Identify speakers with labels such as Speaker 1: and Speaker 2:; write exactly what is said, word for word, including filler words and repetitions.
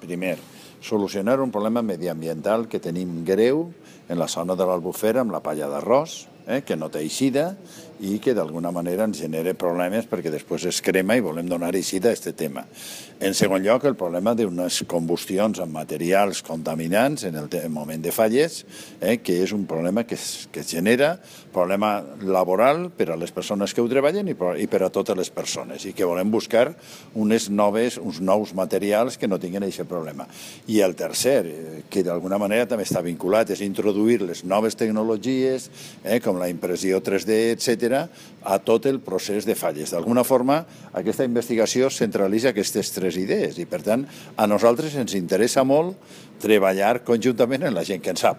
Speaker 1: Primer, solucionar un problema mediambiental que tenim greu en la zona de l'Albufera amb la palla d'arròs, eh, que no té eixida i que d'alguna manera ens genera problemes perquè després es crema i volem donar eixida a aquest tema. En segon lloc, el problema d'unes combustions amb materials contaminants en el moment de falles, eh, que és un problema que es, que es genera, problema laboral per a les persones que ho treballen i per, i per a totes les persones, i que volem buscar unes noves, uns nous materials que no tinguin aquest problema. I el tercer, que d'alguna manera també està vinculat, és introduir les noves tecnologies, eh, com la impressió tres D, etcètera, a tot el procés de falles. D'alguna forma, aquesta investigació centralitza aquestes tres idees i, per tant, a nosaltres ens interessa molt treballar conjuntament amb la gent que en sap.